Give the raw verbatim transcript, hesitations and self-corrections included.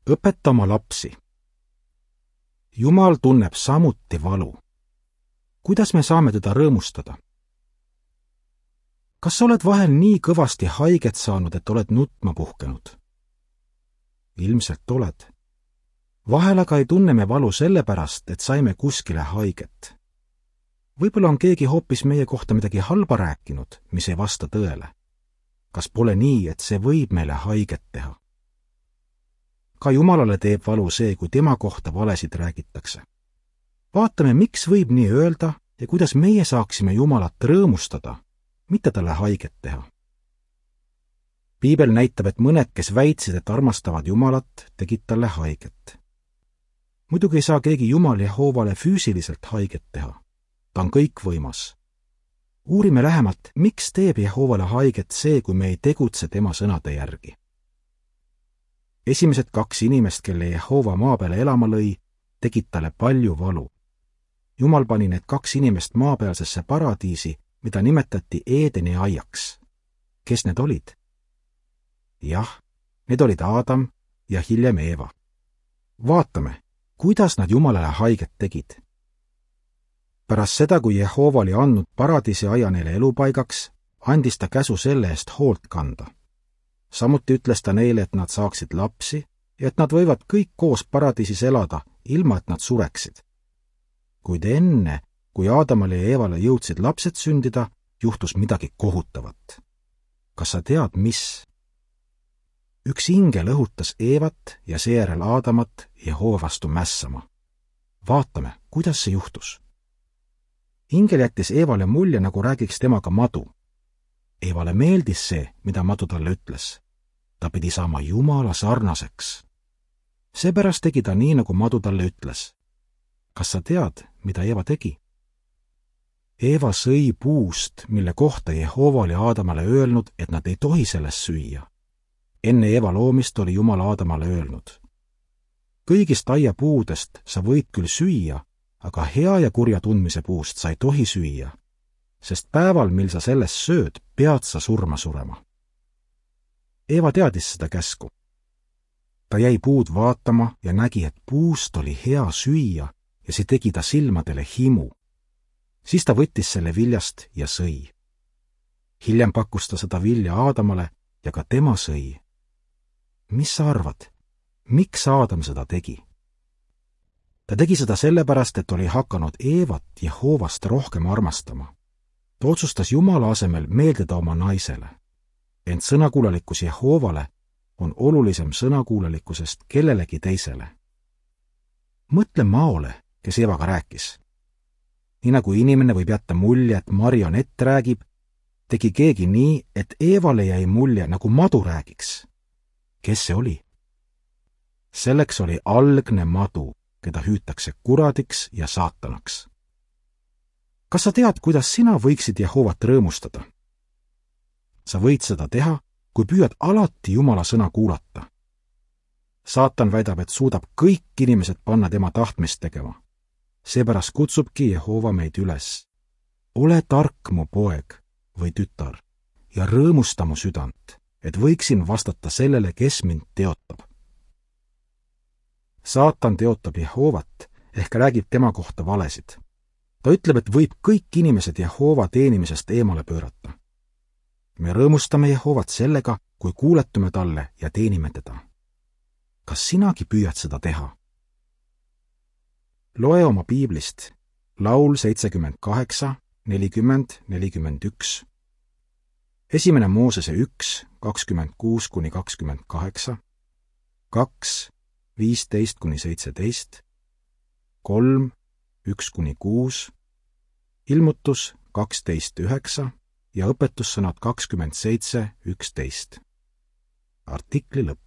Õpeta oma lapsi. Jumal tunneb samuti valu. Kuidas me saame teda rõõmustada? Kas sa oled vahel nii kõvasti haiget saanud, et oled nutma puhkenud? Ilmselt oled. Vahel aga ei tunne me valu sellepärast, et saime kuskile haiget. Võib-olla on keegi hoopis meie kohta midagi halba rääkinud, mis ei vasta tõele. Kas pole nii, et see võib meile haiget teha? Ka Jumalale teeb valu see, kui tema kohta valesid räägitakse. Vaatame, miks võib nii öelda ja kuidas meie saaksime Jumalat rõõmustada, mitte talle haiget teha. Piibel näitab, et mõned, kes väitsid, et armastavad Jumalat, tegid talle haiget. Muidugi ei saa keegi Jumal Jehoovale füüsiliselt haiget teha. Ta on kõikvõimas. Uurime lähemalt, miks teeb Jehoovale haiget see, kui me ei tegutse tema sõnade järgi. Esimesed kaks inimest, kelle Jehoova maa peale elama lõi, tegid talle palju valu. Jumal pani need kaks inimest maapealsesse paradiisi, mida nimetati Eedeni aiaks. Kes need olid? Jah, need olid Aadam ja hiljem Eeva. Vaatame, kuidas nad Jumalale haiget tegid. Pärast seda, kui Jehoova oli andnud paradiisi aia neile elupaigaks, andis ta käsu selle eest hoolt kanda. Samuti ütles ta neile, et nad saaksid lapsi ja et nad võivad kõik koos paradiisis elada, ilma et nad sureksid. Kuid enne, kui Aadamale ja Eevale jõudsid lapsed sündida, juhtus midagi kohutavat. Kas sa tead, mis? Üks ingel õhutas Eevat ja seejärel Aadamat Jehoova vastu mässama. Vaatame, kuidas see juhtus. Ingel jättis Eevale mulje, nagu räägiks temaga madu. Eevale meeldis see, mida madu talle ütles. Ta pidi saama Jumala sarnaseks. Seepärast tegi ta nii, nagu madu talle ütles. Kas sa tead, mida Eeva tegi? Eeva sõi puust, mille kohta Jehoova oli Aadamale öelnud, et nad ei tohi sellest süüa. Enne Eeva loomist oli Jumal Aadamale öelnud. Kõigist aiapuudest sa võid küll süüa, aga hea ja kurja tundmise puust sa ei tohi süüa, sest päeval, mil sa sellest sööd, pead sa surma surema. Eeva teadis seda käsku. Ta jäi puud vaatama ja nägi, et puust oli hea süüa ja see tegi ta silmadele himu. Siis ta võttis selle viljast ja sõi. Hiljem pakkus ta seda vilja Aadamale ja ka tema sõi. Mis sa arvad? Miks Aadam seda tegi? Ta tegi seda sellepärast, et oli hakanud Eevat Jehoovast rohkem armastama. Ta otsustas Jumala asemel meeldida oma naisele. Ent sõnakuulelikkus Jehoovale on olulisem sõnakuulelikkusest kellelegi teisele. Mõtle Maole, kes Eevaga rääkis. Nii nagu inimene võib jätta mulje, et marionett räägib, tegi keegi nii, et Eevale jäi mulje, nagu madu räägiks. Kes see oli? Selleks oli algne madu, keda hüütakse kuradiks ja saatanaks. Kas sa tead, kuidas sina võiksid Jehoovat rõõmustada? Sa võid seda teha, kui püüad alati Jumala sõna kuulata. Saatan väidab, et suudab kõik inimesed panna tema tahtmist tegema. Seepärast kutsubki Jehoova meid üles. Ole tark, mu poeg või tütar, ja rõõmusta mu südant, et võiksin vastata sellele, kes mind teotab. Saatan teotab Jehoovat ehk räägib tema kohta valesid. Ta ütleb, et võib kõik inimesed Jehoova teenimisest eemale pöörata. Me rõõmustame Jehoovat sellega, kui kuuletume talle ja teenime teda. Kas sinagi püüad seda teha? Loe oma piiblist Laul seitsekümmend kaheksa, nelikümmend, nelikümmend üks, esimene Moosese üks, kakskümmend kuus kuni kakskümmend kaheksa, kaks, viisteist kuni seitseteist, kolm, üks kuni kuus, ilmutus kaksteist üheksa ja õpetussõnad kakskümmend seitse üksteist. Artikli lõpp.